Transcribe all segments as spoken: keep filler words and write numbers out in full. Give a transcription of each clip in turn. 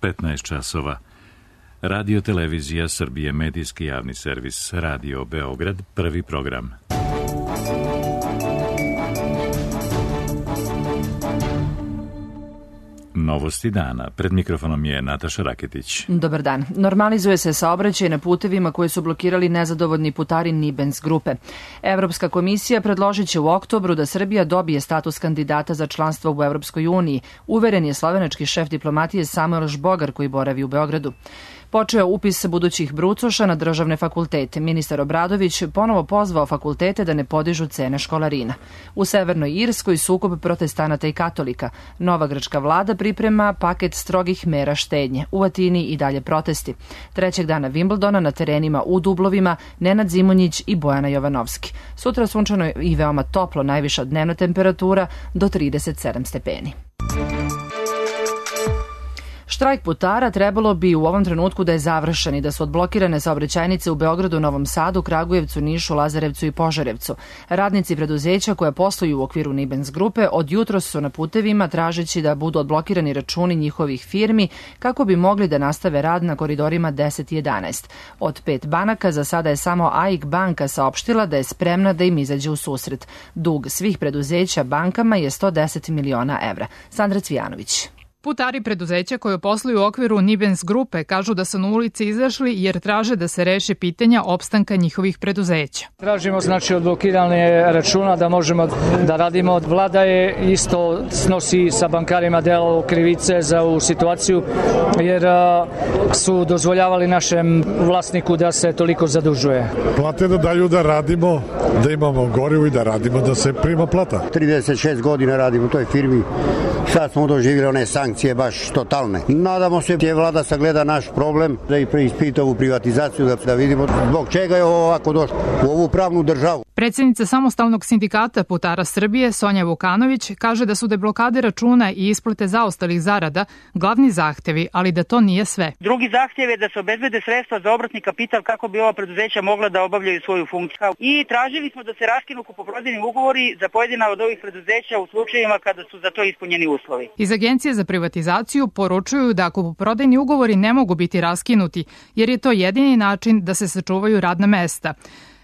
petnaest časova. Radio Televizija Srbije, medijski javni servis, Radio Beograd, prvi program. Novosti dana. Pred mikrofonom je Nataša Raketić. Dobar dan. Normalizuje se saobraćaj na putevima koje su blokirali nezadovoljni putari Nibens grupe. Evropska komisija predložit će u oktobru da Srbija dobije status kandidata za članstvo u Evropskoj uniji, uveren je slovenački šef diplomatije Samuel Žbogar koji boravi u Beogradu. Počeo upis budućih brucoša na državne fakultete. Ministar Obradović ponovo pozvao fakultete da ne podižu cene školarina. U Severnoj Irskoj sukob protestanata i katolika. Nova grčka vlada priprema paket strogih mera štednje. U Atini i dalje protesti. Trećeg dana Wimbledona na terenima u Dublovima Nenad Zimonjić i Bojana Jovanovski. Sutra sunčano i veoma toplo, najviša dnevna temperatura do trideset sedam stepeni. Štrajk putara trebalo bi u ovom trenutku da je završen i da su odblokirane saobraćajnice u Beogradu, Novom Sadu, Kragujevcu, Nišu, Lazarevcu i Požarevcu. Radnici preduzeća koja posluju u okviru Nibens grupe od jutros su na putevima tražeći da budu odblokirani računi njihovih firmi kako bi mogli da nastave rad na koridorima deset i jedanaest. Od pet banaka za sada je samo A I K banka saopštila da je spremna da im izađe u susret. Dug svih preduzeća bankama je sto deset miliona evra. Sandra Cvijanović. Putari preduzeća koje posluju u okviru Nibens grupe kažu da su na ulici izašli jer traže da se reše pitanja opstanka njihovih preduzeća. Tražimo znači odblokiranje računa da možemo da radimo. Vlada je isto snosi sa bankarima delo krivice za ovu situaciju jer su dozvoljavali našem vlasniku da se toliko zadužuje. Plate da daju da radimo, da imamo gorivo i da radimo, da se prima plata. trideset šest godina radimo u toj firmi, sad smo doživjeli one sankcije baš totalne. Nadamo se da je vlada sagleda naš problem, da i preispita ovu privatizaciju, da, da vidimo zbog čega je ovo ovako došlo u ovu pravnu državu. Predsjednica Samostalnog sindikata putara Srbije Sonja Vukanović kaže da su deblokade računa i isplate zaostalih zarada glavni zahtevi, ali da to nije sve. Drugi zahtjev je da se obezbede sredstva za obratni kapital kako bi ova preduzeća mogla da obavljaju svoju funkciju. I tražili smo da se raskinu kupoprodajni ugovori za pojedina od ovih preduzeća u slučajevima kada su za to ispunjeni uslovi. Iz Agencije za privatizaciju poručuju da kupoprodajni ugovori ne mogu biti raskinuti, jer je to jedini način da se sačuvaju radna mesta.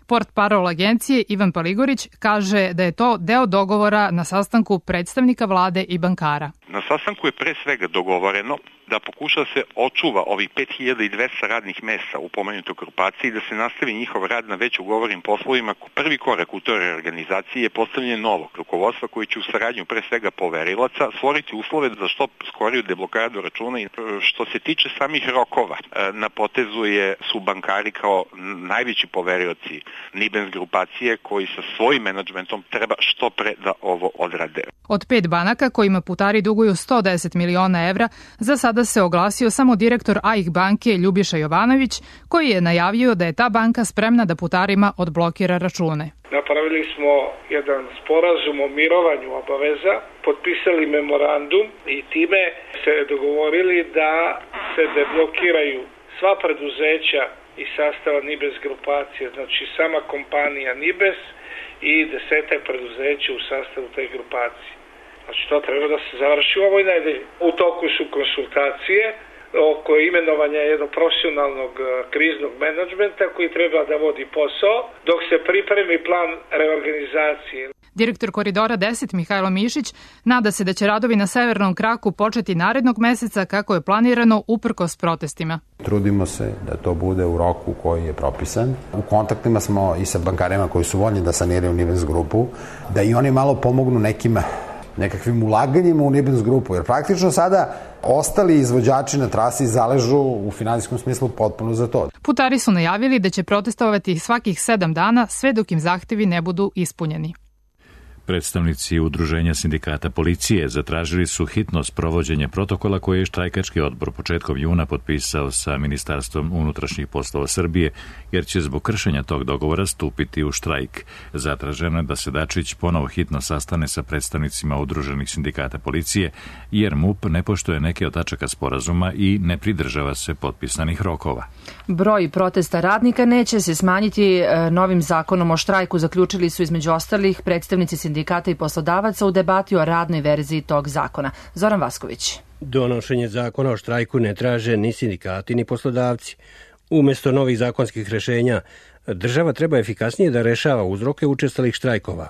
Portparol agencije Ivan Paligorić kaže da je to deo dogovora na sastanku predstavnika vlade i bankara. Na sastanku je pre svega dogovoreno da pokuša da se očuva ovih pet hiljada dvesta radnih mesta u pomenutoj grupaciji i da se nastavi njihov rad na već ugovorenim poslovima. Prvi korak u toj reorganizaciji je postavljanje novog rukovodstva koji će u saradnju pre svega poverilaca stvoriti uslove za što skoriju deblokadu računa. I što se tiče samih rokova, na potezu je, su bankari kao najveći poverilaci Nibens grupacije koji sa svojim menadžmentom treba što pre da ovo odrade. Od pet banaka kojima putari duguju sto deset miliona evra, za sada se oglasio samo direktor A I K banke Ljubiša Jovanović, koji je najavio da je ta banka spremna da putarima odblokira račune. Napravili smo jedan sporazum o mirovanju obaveza, potpisali memorandum i time se dogovorili da se deblokiraju sva preduzeća iz sastava Nibens grupacije, znači sama kompanija Nibes i desetak preduzeća u sastavu te grupacije. Znači to treba da se završi u ovoj nedelji. U toku su konsultacije oko imenovanja jednog profesionalnog kriznog menadžmenta koji treba da vodi posao dok se pripremi plan reorganizacije. Direktor Koridora deset Mihajlo Mišić nada se da će radovi na severnom kraku početi narednog meseca kako je planirano uprkos protestima. Trudimo se da to bude u roku koji je propisan. U kontaktima smo i sa bankarima koji su voljni da saniraju Nibens grupu, da i oni malo pomognu nekim nekakvim ulaganjima u Nibens grupu, jer praktično sada ostali izvođači na trasi zaležu u finansijskom smislu potpuno za to. Putari su najavili da će protestovati svakih sedam dana sve dok im zahtevi ne budu ispunjeni. Predstavnici Udruženja sindikata policije zatražili su hitno sprovođenje protokola koje je štrajkački odbor početkom juna potpisao sa Ministarstvom unutrašnjih poslova Srbije, jer će zbog kršenja tog dogovora stupiti u štrajk. Zatraženo je da se Dačić ponovo hitno sastane sa predstavnicima Udruženih sindikata policije, jer MUP ne poštuje neke od tačaka sporazuma i ne pridržava se potpisanih rokova. Broj protesta radnika neće se smanjiti novim zakonom o štrajku, zaključili su između ostalih predstavnici sindikata i poslodavaca u debati o radnoj verziji tog zakona. Zoran Vasković. Donošenje zakona o štrajku ne traže ni sindikati ni poslodavci. Umesto novih zakonskih rešenja, država treba efikasnije da rešava uzroke učestalih štrajkova,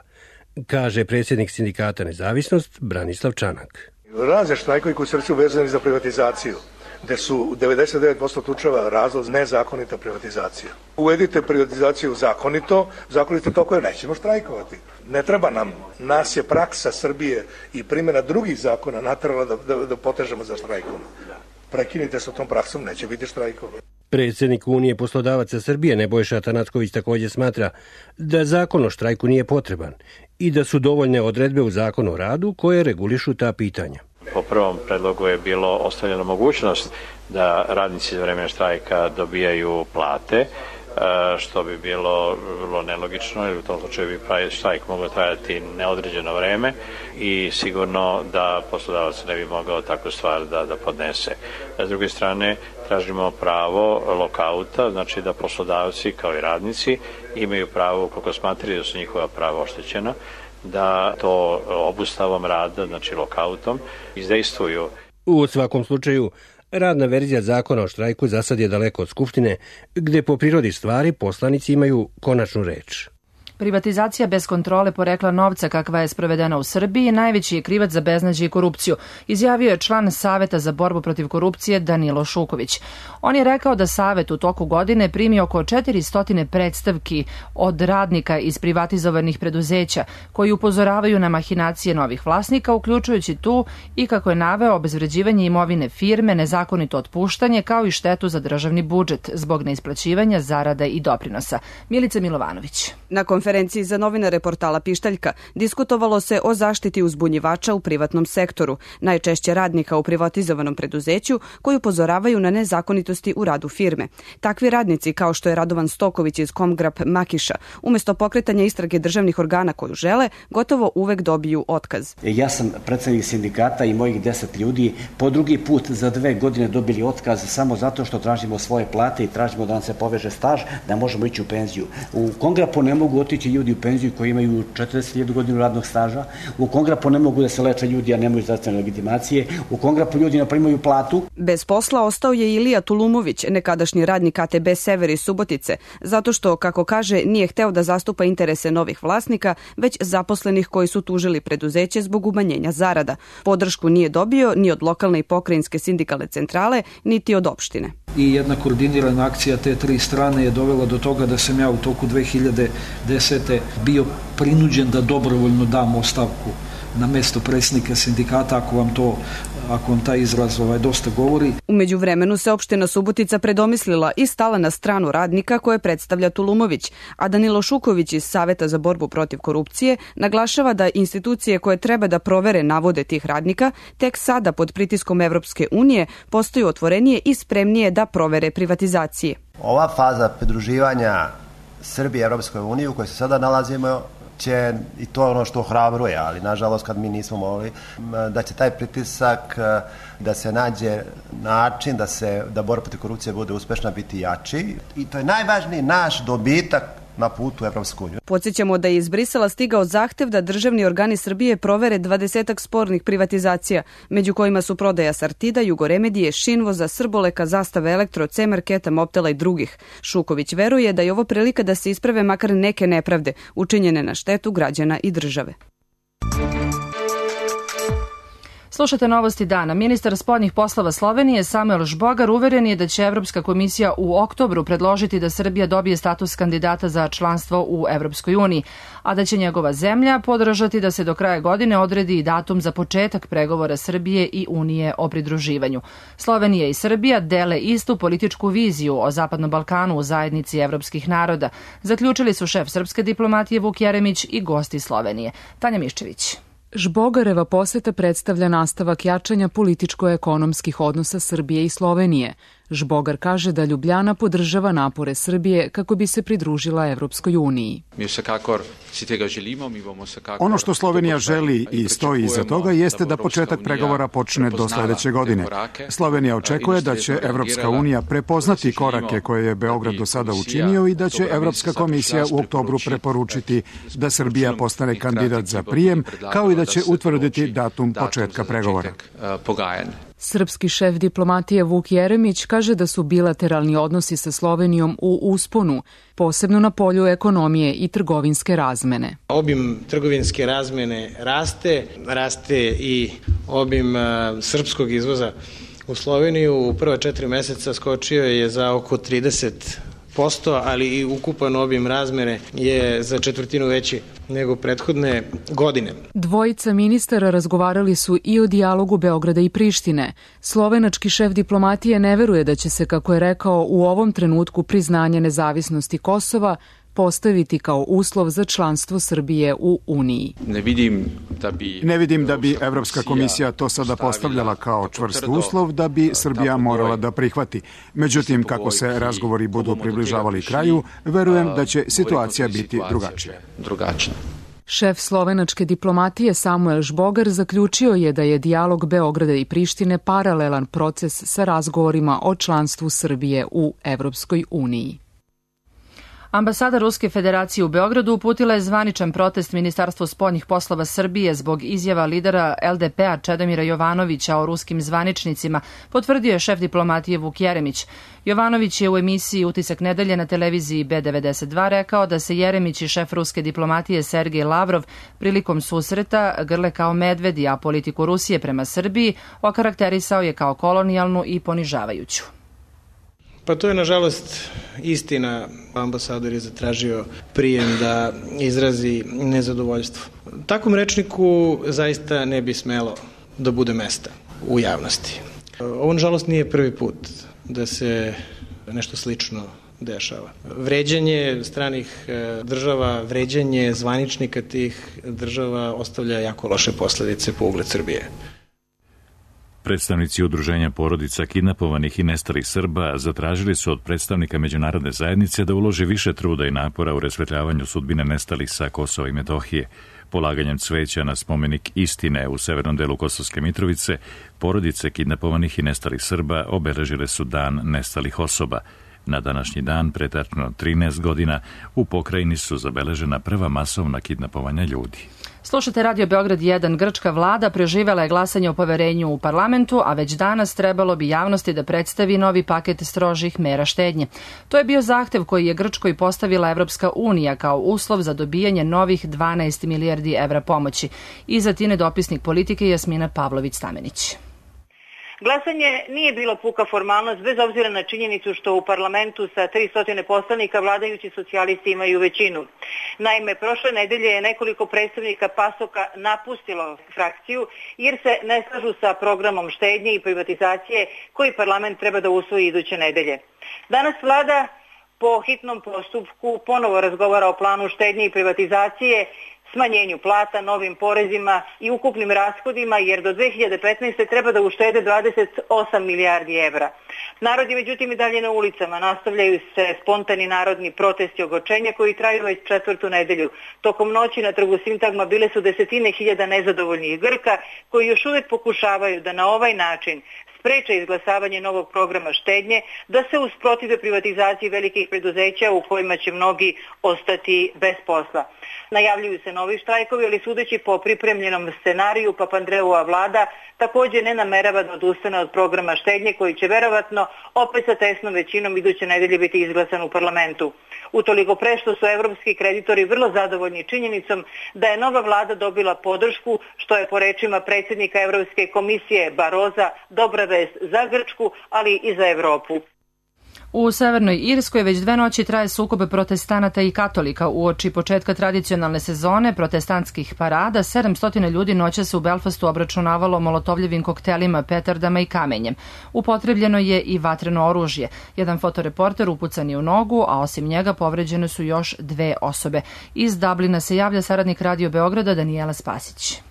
kaže predsjednik sindikata Nezavisnost Branislav Čanak. Razni štrajkovi koji su vezani za privatizaciju, gde su u devedeset devet posto slučajeva razlog nezakonita privatizacija. Uvedite privatizaciju zakonito, zakonito toliko je nećemo štrajkovati. Ne treba nam. Nas je praksa Srbije i primjena drugih zakona naterala da, da, da potežemo za štrajkom. Prekinite sa tom praksom, neće biti štrajkova. Predsjednik Unije poslodavaca Srbije Nebojša Atanacković također smatra da zakon o štrajku nije potreban i da su dovoljne odredbe u zakonu o radu koje regulišu ta pitanja. Po prvom predlogu je bilo ostavljena mogućnost da radnici za vreme štrajka dobijaju plate, što bi bilo vrlo nelogično, jer u tom slučaju bi štrajk mogao trajati neodređeno vreme i sigurno da poslodavac ne bi mogao takvu stvar da, da podnese. S druge strane, tražimo pravo lokauta, znači da poslodavci kao i radnici imaju pravo, koliko smatraju da su njihova prava oštećena, da to obustavom rada, znači lokautom, izdejstvuju. U svakom slučaju, radna verzija zakona o štrajku za sad je daleko od Skupštine, gde po prirodi stvari poslanici imaju konačnu reč. Privatizacija bez kontrole porekla novca kakva je sprovedena u Srbiji najveći je krivac za beznađe i korupciju, izjavio je član Saveta za borbu protiv korupcije Danilo Šuković. On je rekao da Savet u toku godine primi oko četiristo predstavki od radnika iz privatizovanih preduzeća koji upozoravaju na mahinacije novih vlasnika, uključujući tu i, kako je naveo, obezvređivanje imovine firme, nezakonito otpuštanje kao i štetu za državni budžet zbog neisplaćivanja zarada i doprinosa. Milica Milovanović. Na konferenciji za novinare portala Pištaljka diskutovalo se o zaštiti uzbunjivača u privatnom sektoru, najčešće radnika u privatizovanom preduzeću koji upozoravaju na nezakonitosti u radu firme. Takvi radnici, kao što je Radovan Stoković iz Komgrap Makiša, umjesto pokretanja istrage državnih organa koju žele, gotovo uvek dobiju otkaz. Ja sam predsednik sindikata i mojih deset ljudi po drugi put za dve godine dobili otkaz samo zato što tražimo svoje plate i tražimo da nam se poveže staž, da možemo ići u penziju. U Komgrapu ne mogu otići ljudi u penziju koji imaju četrdeset hiljada godina radnog staža. U Komgrapu ne mogu da se leče ljudi, a nemaju zdravstvene legitimacije. U Komgrapu ljudi ne primaju platu. Bez posla ostao je Ilija Tulumović, nekadašnji radnik A T B Sever iz Subotice, zato što, kako kaže, nije hteo da zastupa interese novih vlasnika, već zaposlenih koji su tužili preduzeće zbog umanjenja zarada. Podršku nije dobio ni od lokalne i pokrajinske sindikalne centrale, niti od opštine. I jedna koordinirana akcija te tri strane je dovela do toga da sam ja u toku dve hiljade desete. bio prinuđen da dobrovoljno dam ostavku na mesto predsjednika sindikata, ako vam to ako vam taj izraz ovaj, dosta govori. U međuvremenu se opština Subotica predomislila i stala na stranu radnika koje predstavlja Tulumović, a Danilo Šuković iz Saveta za borbu protiv korupcije naglašava da institucije koje treba da provere navode tih radnika tek sada pod pritiskom Evropske unije postaju otvorenije i spremnije da provere privatizacije. Ova faza pridruživanja Srbije Evropskoj uniji u kojoj se sada nalazimo će, i to je ono što ohrabruje, ali nažalost kad mi nismo mogli, da će taj pritisak da se nađe način da se da borba protiv korupcije bude uspešna biti jači i to je najvažniji naš dobitak na putu Evropsku uniju. Podsjećamo da je iz Brisela stigao zahtev da državni organi Srbije provere dvadesetak spornih privatizacija, među kojima su prodaja Sartida, Jugoremedije, Šinvoza, Srboleka, Zastave Elektro, C-Marketa, Mobtela i drugih. Šuković veruje da je ovo prilika da se isprave makar neke nepravde učinjene na štetu građana i države. Slušate novosti dana. Ministar spoljnih poslova Slovenije Samuel Žbogar uveren je da će Evropska komisija u oktobru predložiti da Srbija dobije status kandidata za članstvo u Evropskoj uniji, a da će njegova zemlja podržati da se do kraja godine odredi i datum za početak pregovora Srbije i Unije o pridruživanju. Slovenija i Srbija dele istu političku viziju o Zapadnom Balkanu u zajednici evropskih naroda, zaključili su šef srpske diplomatije Vuk Jeremić i gosti Slovenije. Tanja Miščević. Žbogareva poseta predstavlja nastavak jačanja političko-ekonomskih odnosa Srbije i Slovenije. Žbogar kaže da Ljubljana podržava napore Srbije kako bi se pridružila Evropskoj uniji. Ono što Slovenija želi i stoji iza toga jeste da početak pregovora počne do sledeće godine. Slovenija očekuje da će Evropska unija prepoznati korake koje je Beograd do sada učinio i da će Evropska komisija u oktobru preporučiti da Srbija postane kandidat za prijem, kao i da će utvrditi datum početka pregovora. Srpski šef diplomatije Vuk Jeremić kaže da su bilateralni odnosi sa Slovenijom u usponu, posebno na polju ekonomije i trgovinske razmene. Obim trgovinske razmene raste, raste i obim srpskog izvoza u Sloveniju. U prva četiri meseca skočio je za oko trideset posto, ali i ukupan obim razmene je za četvrtinu veći nego prethodne godine. Dvojica ministara razgovarali su i o dijalogu Beograda i Prištine. Slovenački šef diplomatije ne veruje da će se, kako je rekao, u ovom trenutku priznanje nezavisnosti Kosova postaviti kao uslov za članstvo Srbije u Uniji. Ne vidim da bi... Ne vidim da bi Evropska komisija to sada postavljala kao čvrst uslov da bi Srbija morala da prihvati. Međutim, kako se razgovori budu približavali kraju, verujem da će situacija biti drugačija. drugačija. Šef slovenačke diplomatije Samuel Žbogar zaključio je da je dijalog Beograda i Prištine paralelan proces sa razgovorima o članstvu Srbije u Evropskoj uniji. Ambasada Ruske federacije u Beogradu uputila je zvaničan protest Ministarstvu spoljnih poslova Srbije zbog izjava lidera L D P-a Čedomira Jovanovića o ruskim zvaničnicima, potvrdio je šef diplomatije Vuk Jeremić. Jovanović je u emisiji Utisak nedelje na televiziji B devedeset dva rekao da se Jeremić i šef ruske diplomatije Sergej Lavrov prilikom susreta grle kao medvedi, a politiku Rusije prema Srbiji okarakterisao je kao kolonijalnu i ponižavajuću. Pa to je nažalost istina. Ambasador je zatražio prijem da izrazi nezadovoljstvo. Takvom rečniku zaista ne bi smelo da bude mesta u javnosti. Ovo nažalost nije prvi put da se nešto slično dešava. Vređanje stranih država, vređanje zvaničnika tih država ostavlja jako loše posledice po ugled Srbije. Predstavnici udruženja porodica kidnapovanih i nestalih Srba zatražili su od predstavnika međunarodne zajednice da uloži više truda i napora u rasvetljavanju sudbine nestalih sa Kosova i Metohije. Polaganjem cveća na spomenik istine u severnom delu Kosovske Mitrovice, porodice kidnapovanih i nestalih Srba obeležile su dan nestalih osoba. Na današnji dan, pre tačno trinaest godina, u pokrajini su zabeležena prva masovna kidnapovanja ljudi. Slušate Radio Beograd jedan. Grčka vlada preživela je glasanje o poverenju u parlamentu, a već danas trebalo bi javnosti da predstavi novi paket strožih mera štednje. To je bio zahtev koji je Grčkoj postavila Evropska unija kao uslov za dobijanje novih dvanaest milijardi evra pomoći. Iza Tine dopisnik politike Jasmina Pavlović-Stamenić. Glasanje nije bilo puka formalnost, bez obzira na činjenicu što u parlamentu sa tristo poslanika vladajući socijalisti imaju većinu. Naime, prošle nedelje je nekoliko predstavnika PASOK-a napustilo frakciju jer se ne slažu sa programom štednje i privatizacije koji parlament treba da usvoji iduće nedelje. Danas vlada po hitnom postupku ponovo razgovara o planu štednje i privatizacije, smanjenju plata, novim porezima i ukupnim rashodima, jer do dve hiljade petnaeste. treba da uštede dvadeset osam milijardi evra. Narod je međutim i dalje na ulicama, nastavljaju se spontani narodni protesti ogorčenja koji traju već četvrtu nedelju. Tokom noći na trgu Sintagma bile su desetine hiljada nezadovoljnih Grka koji još uvijek pokušavaju da na ovaj način spreče izglasavanje novog programa štednje, da se usprotive privatizaciji velikih preduzeća u kojima će mnogi ostati bez posla. Najavljuju se novi štrajkovi, ali sudeći po pripremljenom scenariju, Papandreova vlada također ne namerava da odustane od programa štednje koji će verovatno opet sa tesnom većinom iduće nedelje biti izglasan u parlamentu. Utoliko pre što su evropski kreditori vrlo zadovoljni činjenicom da je nova vlada dobila podršku, što je po rečima predsjednika Evropske komisije Baroza dobra vest za Grčku, ali i za Evropu. U Severnoj Irskoj već dve noći traje sukob protestanata i katolika. Uoči početka tradicionalne sezone protestantskih parada, sedamsto ljudi noćas u Belfastu obračunavalo molotovljevim koktelima, petardama i kamenjem. Upotrebljeno je i vatreno oružje. Jedan fotoreporter upucan je u nogu, a osim njega povređene su još dve osobe. Iz Dublina se javlja saradnik Radio Beograda Danijela Spasić.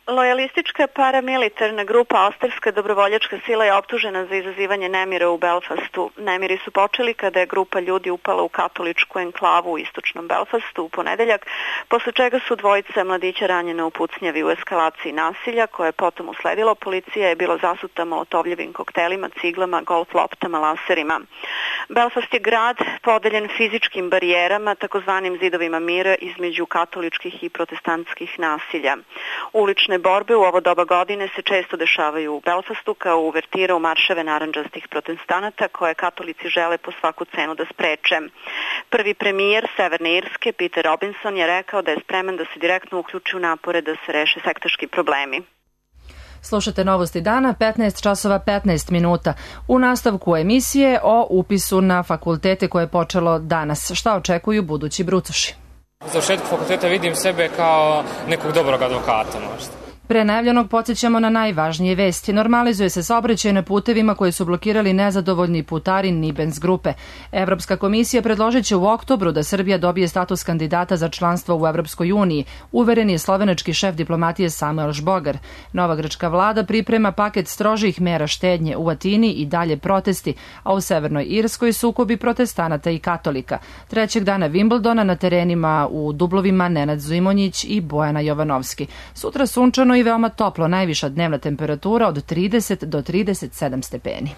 Lojalistička paramilitarna grupa Australska dobrovoljačka sila je optužena za izazivanje nemira u Belfastu. Nemiri su počeli kada je grupa ljudi upala u katoličku enklavu u istočnom Belfastu u ponedeljak, posle čega su dvojica mladića ranjena u pucnjavi u eskalaciji nasilja, koje je potom usledilo. Policija je bila zasuta molotovljevim koktelima, ciglama, golf loptama, laserima. Belfast je grad podeljen fizičkim barijerama, takozvanim zidovima mira između katoličkih i protestantskih nasilja. Ulične borbe u ovo doba godine se često dešavaju u Belfastu kao uvertira u marševe narandžastih protestanata koje katolici žele po svaku cenu da spreče. Prvi premijer Severne Irske, Peter Robinson, je rekao da je spreman da se direktno uključi u napore da se reše sektaški problemi. Slušate Novosti dana, petnaest časova petnaest minuta. U nastavku emisije o upisu na fakultete koje je počelo danas. Šta očekuju budući brucoši? U završetku fakulteta vidim sebe kao nekog dobrog advokata možda. Pre najavljenog podsjećamo na najvažnije vesti. Normalizuje se saobraćaj na putevima koje su blokirali nezadovoljni putari Nibens grupe. Evropska komisija predložit će u oktobru da Srbija dobije status kandidata za članstvo u Evropskoj uniji, uveren je slovenački šef diplomatije Samuel Žbogar. Nova grčka vlada priprema paket strožih mera štednje u Atini i dalje protesti, a u Severnoj Irskoj sukobi protestanata i katolika. Trećeg dana Wimbledona na terenima u Dublovima Nenad Zimonjić i Bojana Jovanovski. Sutra sunčano i veoma toplo, najviša dnevna temperatura od trideset do trideset sedam stepeni.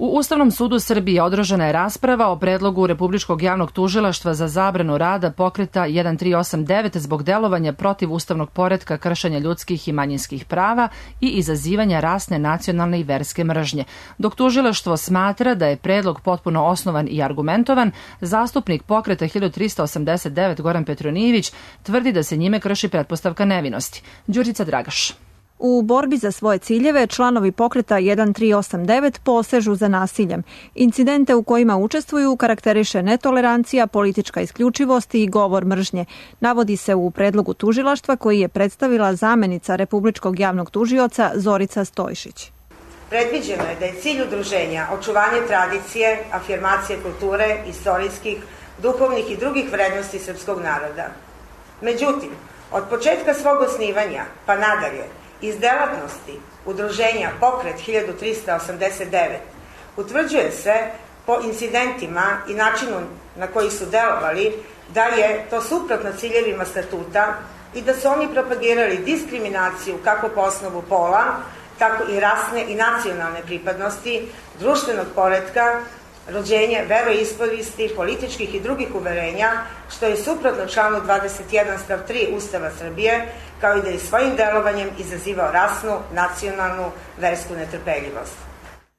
U Ustavnom sudu Srbije održana je rasprava o predlogu Republičkog javnog tužilaštva za zabranu rada pokreta jedan tri osam devet zbog delovanja protiv ustavnog poretka, kršenja ljudskih i manjinskih prava i izazivanja rasne, nacionalne i verske mržnje. Dok tužilaštvo smatra da je predlog potpuno osnovan i argumentovan, zastupnik pokreta hiljadu trista osamdeset devet Goran Petronijević tvrdi da se njime krši pretpostavka nevinosti. Đurica Dragaš. U borbi za svoje ciljeve članovi pokreta jedan tri osam devet posežu za nasiljem. Incidente u kojima učestvuju karakteriše netolerancija, politička isključivost i govor mržnje. Navodi se u predlogu tužilaštva koji je predstavila zamenica Republičkog javnog tužioca Zorica Stojšić. Predviđeno je da je cilj udruženja očuvanje tradicije, afirmacije kulture, istorijskih, duhovnih i drugih vrednosti srpskog naroda. Međutim, od početka svog osnivanja pa nadalje, iz delatnosti udruženja Pokret hiljadu trista osamdeset devet utvrđuje se po incidentima i načinu na koji su delovali da je to suprotno ciljevima statuta i da su oni propagirali diskriminaciju kako po osnovu pola, tako i rasne i nacionalne pripadnosti, društvenog poretka, rođenje, veroispovesti, političkih i drugih uverenja, što je suprotno članu dvadeset jedan stav tri Ustava Srbije, kao i da je svojim delovanjem izazivao rasnu, nacionalnu, versku netrpeljivost.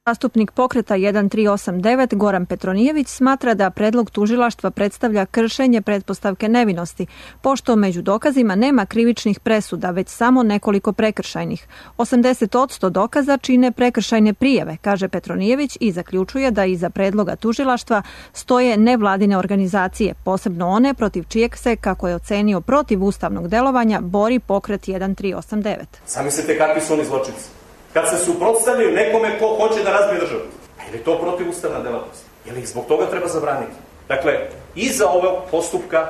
Zastupnik pokreta jedan tri osam devet Goran Petronijević smatra da predlog tužilaštva predstavlja kršenje pretpostavke nevinosti, pošto među dokazima nema krivičnih presuda, već samo nekoliko prekršajnih. osamdeset posto dokaza čine prekršajne prijave, kaže Petronijević i zaključuje da iza predloga tužilaštva stoje nevladine organizacije, posebno one protiv čijeg se, kako je ocenio protiv ustavnog delovanja, bori pokret jedan tri osam devet. Zamislite kakvi su oni zločinci. Kad se suprotstavljaju nekome ko hoće da razbije državu. Je li to protivustavna delatnost? Je li ih zbog toga treba zabraniti? Dakle, iza ovog postupka,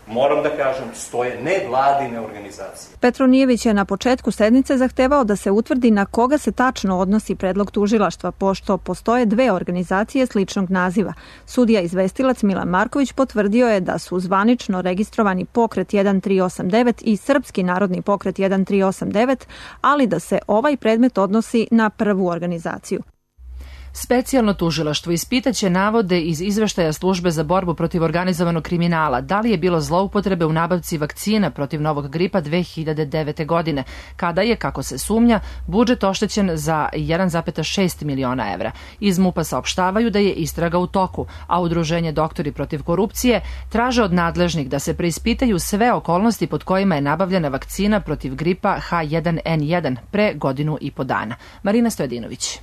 moram da kažem, stoje nevladine organizacije. Petronijević je na početku sednice zahtevao da se utvrdi na koga se tačno odnosi predlog tužilaštva, pošto postoje dve organizacije sličnog naziva. Sudija izvestilac Milan Marković potvrdio je da su zvanično registrovani pokret jedan tri osam devet i Srpski narodni pokret jedan tri osam devet, ali da se ovaj predmet odnosi na prvu organizaciju. Specijalno tužilaštvo ispitaće navode iz izveštaja Službe za borbu protiv organizovanog kriminala da li je bilo zloupotrebe u nabavci vakcina protiv novog gripa dve hiljade devete. godine, kada je, kako se sumnja, budžet oštećen za jedan zarez šest miliona evra. Iz MUP-a saopštavaju da je istraga u toku, a Udruženje Doktori protiv korupcije traže od nadležnih da se preispitaju sve okolnosti pod kojima je nabavljena vakcina protiv gripa ha jedan en jedan pre godinu i po dana. Marina Stojadinović.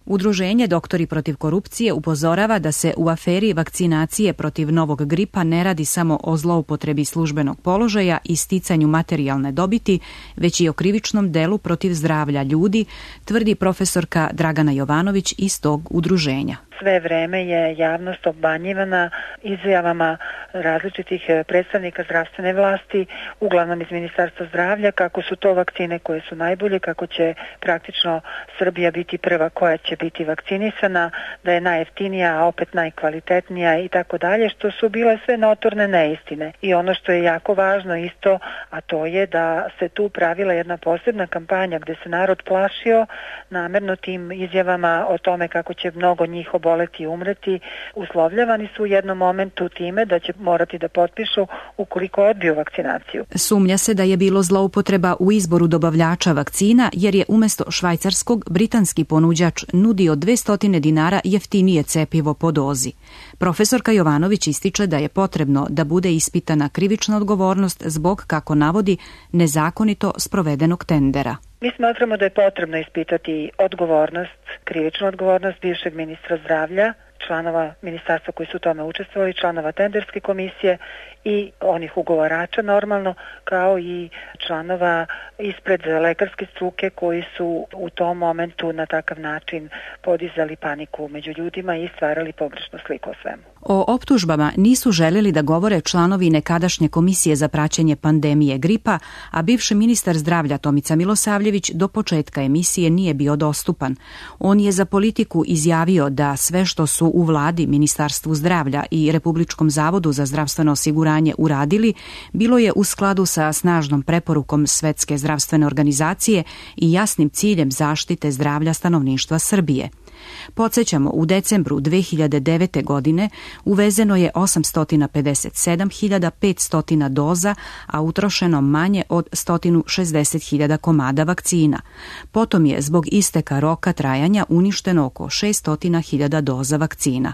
Udruženje Doktori protiv korupcije upozorava da se u aferi vakcinacije protiv novog gripa ne radi samo o zloupotrebi službenog položaja i sticanju materijalne dobiti, već i o krivičnom delu protiv zdravlja ljudi, tvrdi profesorka Dragana Jovanović iz tog udruženja. sve vreme je javnost obmanjivana izjavama različitih predstavnika zdravstvene vlasti, uglavnom iz Ministarstva zdravlja, kako su to vakcine koje su najbolje, kako će praktično Srbija biti prva koja će biti vakcinisana, da je najjeftinija, a opet najkvalitetnija i tako dalje, što su bile sve notorne neistine. I ono što je jako važno isto, a to je da se tu pravila jedna posebna kampanja gde se narod plašio namerno tim izjavama o tome kako će mnogo njih oboleti i umreti. Uslovljavani su u jednom momentu time da će morati da potpišu ukoliko odbiju vakcinaciju. Sumnja se da je bilo zloupotreba u izboru dobavljača vakcina jer je umesto švajcarskog britanski ponuđač nudio dvesta dinara jeftinije cepivo po dozi. Profesorka Jovanović ističe da je potrebno da bude ispitana krivična odgovornost zbog, kako navodi, nezakonito sprovedenog tendera. Mi smatramo da je potrebno ispitati odgovornost, krivičnu odgovornost bivšeg ministra zdravlja, članova ministarstva koji su u tome učestvovali, članova tenderske komisije i onih ugovarača normalno, kao i članova ispred lekarske struke koji su u tom momentu na takav način podizali paniku među ljudima i stvarali pogrešnu sliku o svemu. O optužbama nisu želeli da govore članovi nekadašnje komisije za praćenje pandemije gripa, a bivši ministar zdravlja Tomica Milosavljević do početka emisije nije bio dostupan. On je za Politiku izjavio da sve što su u vladi, Ministarstvu zdravlja i Republičkom zavodu za zdravstveno osiguranje uradili, bilo je u skladu sa snažnom preporukom Svetske zdravstvene organizacije i jasnim ciljem zaštite zdravlja stanovništva Srbije. Podsjećamo, u decembru dve hiljade devete. godine uvezeno je osamsto pedeset sedam hiljada petsto doza, a utrošeno manje od sto šezdeset hiljada komada vakcina. Potom je zbog isteka roka trajanja uništeno oko šesto hiljada doza vakcina.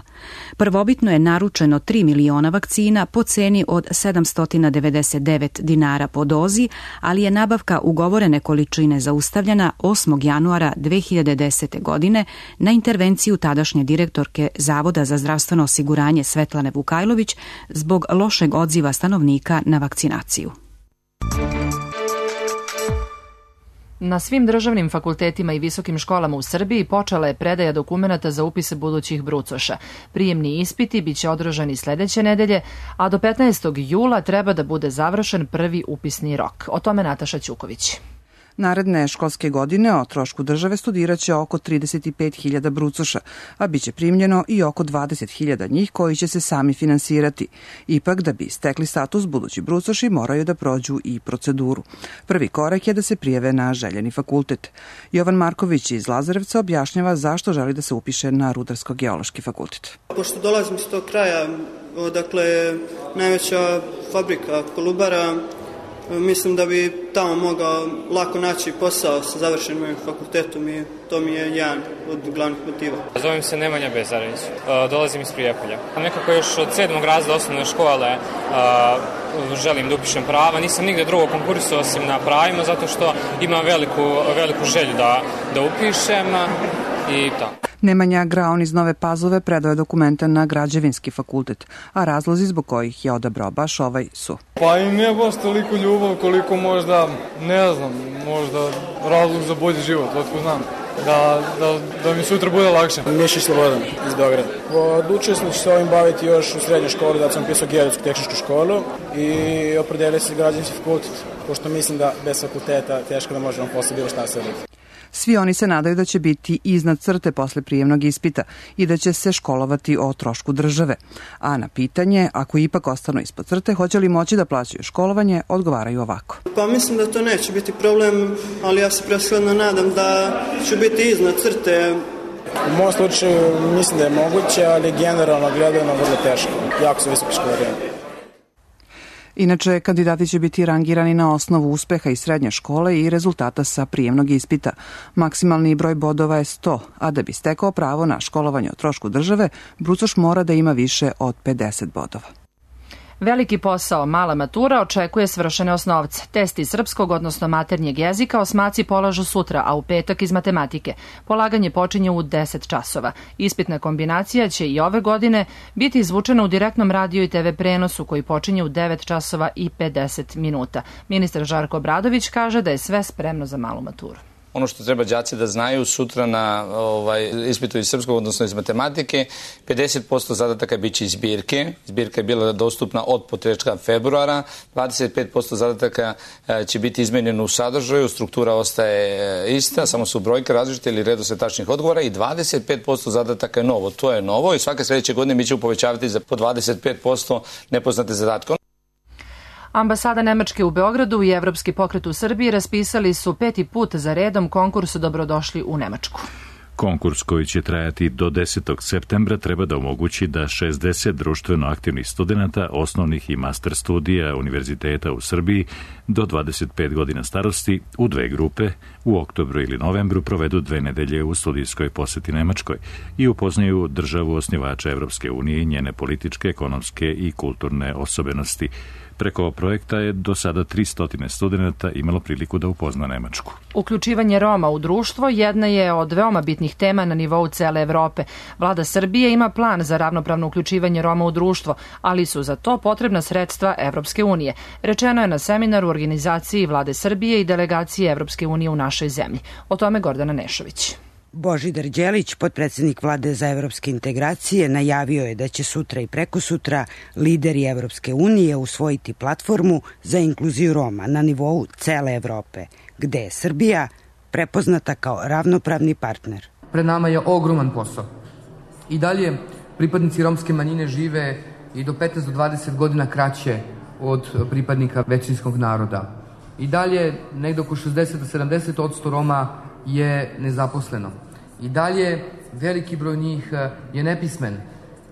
Prvobitno je naručeno tri miliona vakcina po ceni od sedamsto devedeset devet dinara po dozi, ali je nabavka ugovorene količine zaustavljena osmog januara dve hiljade desete. godine na intervenciju tadašnje direktorke Zavoda za zdravstveno osiguranje Svetlane Vukajlović zbog lošeg odziva stanovnika na vakcinaciju. Na svim državnim fakultetima i visokim školama u Srbiji počela je predaja dokumenata za upise budućih brucoša. Prijemni ispiti biće održani sledeće nedelje, a do petnaestog jula treba da bude završen prvi upisni rok. O tome Nataša Ćuković. Naredne školske godine o trošku države studiraće oko trideset pet hiljada brucoša, a biće primljeno i oko dvadeset hiljada njih koji će se sami finansirati. Ipak, da bi stekli status, budući brucoši moraju da prođu i proceduru. Prvi korak je da se prijave na željeni fakultet. Jovan Marković iz Lazarevca objašnjava zašto želi da se upiše na Rudarsko-geološki fakultet. Pošto dolazim iz tog kraja, dakle, najveća fabrika Kolubara, mislim da bi tamo mogao lako naći posao sa završenim mojim fakultetom i to mi je jedan od glavnih motiva. Zovem se Nemanja Bezarević, dolazim iz Prijepolja. Nekako još od sedmog razreda osnovne škole želim da upišem prava. Nisam nigde drugo konkurisao osim na pravima zato što imam veliku, veliku želju da, da upišem i to. Nemanja Graon iz Nove Pazove predao je dokumenta na Građevinski fakultet, a razlozi zbog kojih je odabrao baš ovaj su. Pa i ne baš toliko ljubav koliko možda, ne znam, možda razlog za bolji život, otko znam. Da, da, da mi sutra bude lakše. Mišić Slobodan iz Beograda. Odlučio sam da ću se ovim baviti još u srednjoj školi, da sam pisao geodetsku tehničku školu i opredelio se građevinski fakultet, pošto mislim da bez fakulteta teško da možemo posle bilo šta saditi. Svi oni se nadaju da će biti iznad crte posle prijemnog ispita i da će se školovati o trošku države. A na pitanje, ako ipak ostanu ispod crte, hoće li moći da plaćaju školovanje, odgovaraju ovako. Pa mislim da to neće biti problem, ali ja se preshodno nadam da ću biti iznad crte. U mom slučaju mislim da je moguće, ali generalno gledano vrlo teško. Jako su visoke školarine. Inače, kandidati će biti rangirani na osnovu uspeha iz srednje škole i rezultata sa prijemnog ispita. Maksimalni broj bodova je sto, a da bi stekao pravo na školovanje o trošku države, brucoš mora da ima više od pedeset bodova. Veliki posao, mala matura, očekuje svršene osnovce. Test iz srpskog, odnosno maternjeg jezika, osmaci polažu sutra, a u petak iz matematike. Polaganje počinje u deset časova. Ispitna kombinacija će i ove godine biti izvučena u direktnom radio i te ve prenosu koji počinje u devet časova i pedeset minuta. Ministar Žarko Obradović kaže da je sve spremno za malu maturu. ono što treba đaci da znaju sutra na ovaj, ispitu iz srpskog, odnosno iz matematike, pedeset posto zadataka biće iz zbirke. Zbirka je bila dostupna od početka februara, dvadeset pet posto zadataka će biti izmenjeno u sadržaju, struktura ostaje ista, samo su brojke različite ili redosled tačnih odgovora i dvadeset pet posto zadataka je novo. To je novo i svake sledeće godine mi ćemo povećavati za po dvadeset pet posto nepoznate zadatke. Ambasada Nemačke u Beogradu i Evropski pokret u Srbiji raspisali su peti put za redom konkurs Dobrodošli u Nemačku. Konkurs koji će trajati do desetog septembra treba da omogući da šezdeset društveno aktivnih studenta osnovnih i master studija univerziteta u Srbiji do dvadeset pet godina starosti u dve grupe u oktobru ili novembru provedu dve nedelje u studijskoj poseti Nemačkoj i upoznaju državu osnivača Evropske unije i njene političke, ekonomske i kulturne osobenosti. Preko projekta je do sada tristo studenta imalo priliku da upozna Nemačku. Uključivanje Roma u društvo jedna je od veoma bitnih tema na nivou cele Evrope. Vlada Srbije ima plan za ravnopravno uključivanje Roma u društvo, ali su za to potrebna sredstva Evropske unije. Rečeno je na seminaru u organizaciji Vlade Srbije i delegacije Evropske unije u našoj zemlji. O tome Gordana Nešović. Božidar Đelić, potpredsednik Vlade za evropske integracije, najavio je da će sutra i prekosutra lideri Evropske unije usvojiti platformu za inkluziju Roma na nivou cele Evrope, gde je Srbija prepoznata kao ravnopravni partner. Pred nama je ogroman posao. I dalje pripadnici romske manjine žive i do petnaest do dvadeset godina kraće od pripadnika većinskog naroda. I dalje negde oko šezdeset do sedamdeset posto Roma je nezaposleno. I dalje veliki broj njih je nepismen.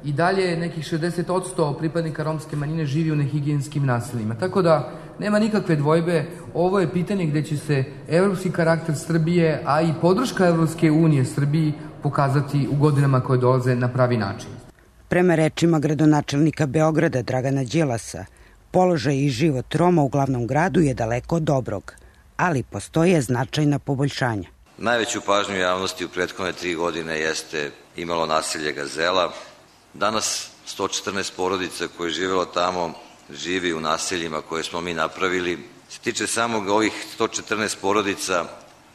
I dalje nekih šezdeset posto pripadnika romske manjine živi u nehigijenskim naseljima. Tako da nema nikakve dvojbe, ovo je pitanje gde će se evropski karakter Srbije, a i podrška Evropske unije Srbiji pokazati u godinama koje dolaze na pravi način. Prema rečima gradonačelnika Beograda Dragana Đilasa, položaj i život Roma u glavnom gradu je daleko od dobrog, ali postoje značajna poboljšanja. Najveću pažnju javnosti u prethodne tri godine jeste imalo naselje Gazela. Danas sto četrnaest porodica koje je živelo tamo živi u naseljima koje smo mi napravili. Se tiče samog ovih sto četrnaest porodica,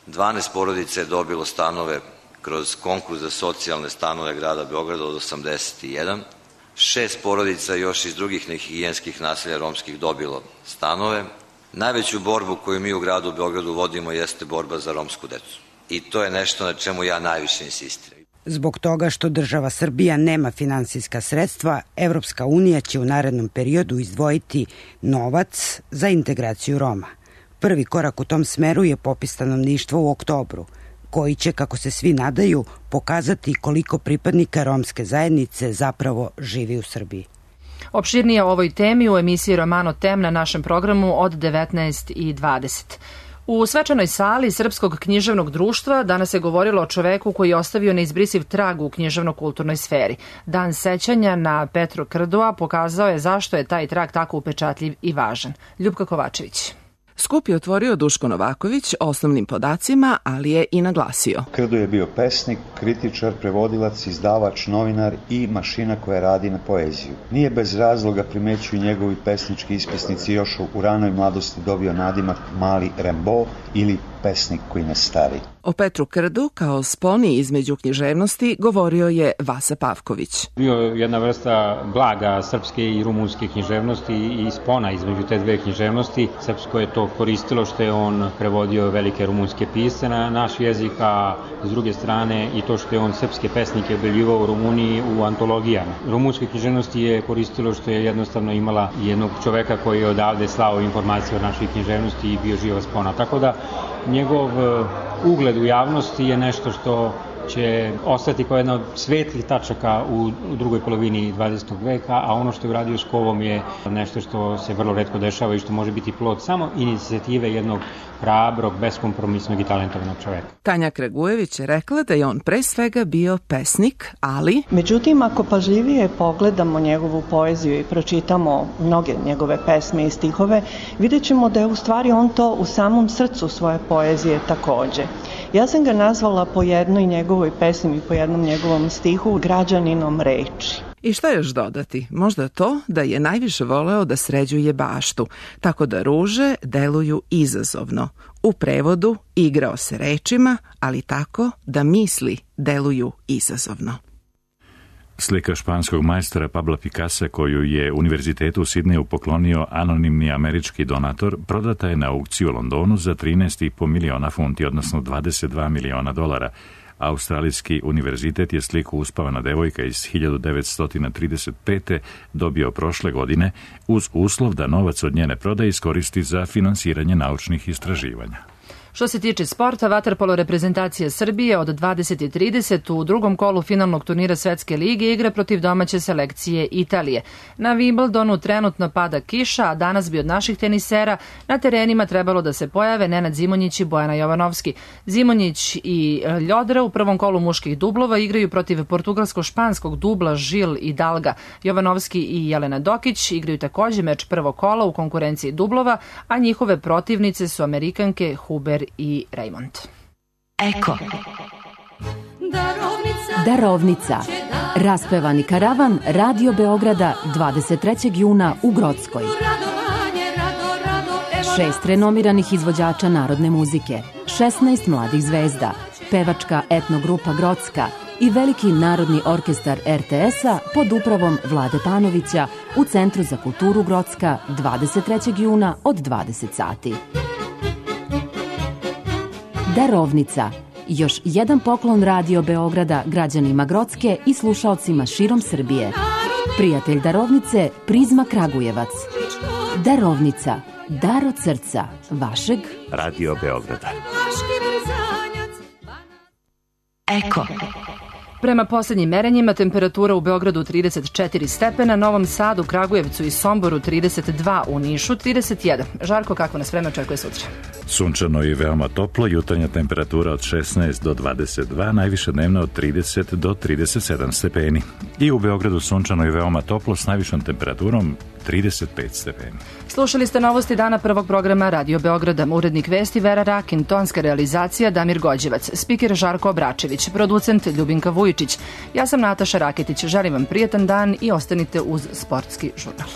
dvanaest porodica je dobilo stanove kroz konkurs za socijalne stanove grada Beograda od osamdeset jedan. Šest porodica još iz drugih nehigijenskih naselja romskih dobilo stanove. Najveću borbu koju mi u gradu Beogradu vodimo jeste borba za romsku decu. I to je nešto na čemu ja najviše insistiram. Zbog toga što država Srbija nema finansijska sredstva, Evropska unija će u narednom periodu izdvojiti novac za integraciju Roma. Prvi korak u tom smeru je popis stanovništva u oktobru, koji će, kako se svi nadaju, pokazati koliko pripadnika romske zajednice zapravo živi u Srbiji. Opširnije o ovoj temi u emisiji Romano Tem na našem programu od devetnaest i dvadeset. U svečanoj sali Srpskog književnog društva danas je govorilo o čoveku koji je ostavio neizbrisiv trag u književno-kulturnoj sferi. Dan sećanja na Petru Krdoa pokazao je zašto je taj trag tako upečatljiv i važan. Ljupka Kovačević. Skup je otvorio Duško Novaković osnovnim podacima, ali je i naglasio. Krdo je bio pesnik, kritičar, prevodilac, izdavač, novinar i mašina koja radi na poeziju. Nije bez razloga, primećuju njegovi pesnički ispisnici, još u ranoj mladosti dobio nadimak Mali Rembo ili pesnik koji ne stari. O Petru Krdu kao sponi između književnosti govorio je Vasa Pavković. Bio je jedna vrsta blaga srpske i rumunske književnosti i spona između te dve književnosti. Srpsko je to koristilo što je on prevodio velike rumunske pisce na naš jezik, a s druge strane i to što je on srpske pesnike objavljivao u Rumuniji u antologijama. Rumunske književnosti je koristilo što je jednostavno imala jednog čoveka koji je odavde slao informacije o našoj književnosti i bio živa spona. Tako da njegov ugled u javnosti je nešto što će ostati kao jedna od svetlih tačaka u, u drugoj polovini dvadesetog veka, a ono što je uradio s Kovom je nešto što se vrlo retko dešava i što može biti plod samo inicijative jednog hrabrog, beskompromisnog i talentovanog čoveka. Tanja Kragujević je rekla da je on pre svega bio pesnik, ali... Međutim, ako pažljivije pogledamo njegovu poeziju i pročitamo mnoge njegove pesme i stihove, vidjet ćemo da je u stvari on to u samom srcu svoje poezije takođe. Ja sam ga nazvala po jednoj njegovoj pesmi i po jednom njegovom stihu građaninom reči. I šta još dodati? Možda to da je najviše voleo da sređuje baštu, tako da ruže deluju izazovno. U prevodu igrao se rečima, ali tako da misli deluju izazovno. Slika španskog majstora Pabla Picassa, koju je Univerzitetu u Sidneju poklonio anonimni američki donator, prodata je na aukciji u Londonu za trinaest i po miliona funti, odnosno dvadeset dva miliona dolara. Australijski univerzitet je sliku Uspavana devojka iz hiljadu devetsto trideset pete. dobio prošle godine uz uslov da novac od njene prodaje iskoristi za finansiranje naučnih istraživanja. Što se tiče sporta, vaterpolo reprezentacija Srbije od dvadeset i trideset u drugom kolu finalnog turnira Svetske lige igra protiv domaće selekcije Italije. Na Wimbledonu trenutno pada kiša, a danas bi od naših tenisera na terenima trebalo da se pojave Nenad Zimonjić i Bojana Jovanovski. Zimonjić i Ljodra u prvom kolu muških dublova igraju protiv portugalsko-španskog dubla Žil i Dalga. Jovanovski i Jelena Dokić igraju takođe meč prvog kola u konkurenciji dublova, a njihove protivnice su Amerikanke Huber i Raymond. Eko. Darovnica. Raspevani karavan Radio Beograda dvadeset trećeg juna u Grockoj. Šest renomiranih izvođača narodne muzike, šesnaest mladih zvezda, pevačka etnogrupa Grocka i veliki narodni orkestar er te es-a pod upravom Vlade Panovića u Centru za kulturu Grocka dvadeset trećeg juna od dvadeset sati. Darovnica. Još jedan poklon Radio Beograda građanima Grocke i slušaocima širom Srbije. Prijatelj Darovnice, Prizma Kragujevac. Darovnica. Dar od srca vašeg Radio Beograda. Eko. Prema poslednjim merenjima, temperatura u Beogradu trideset četiri stepena, Novom Sadu, Kragujevcu i Somboru trideset dva, u Nišu trideset jedan. Žarko, kako nas vreme očekuje sutra? Sunčano i veoma toplo, jutarnja temperatura od šesnaest do dvadeset dva, najviša dnevna od trideset do trideset sedam stepeni. I u Beogradu sunčano i veoma toplo s najvišom temperaturom trideset pet stepeni. Slušali ste novosti dana prvog programa Radio Beograda. Urednik vesti Vera Rakin, tonska realizacija Damir Gođevac, spiker Žarko Obračević, producent Ljubinka Vujičić. Ja sam Nataša Raketić. Želim vam prijatan dan i ostanite uz Sportski žurnal.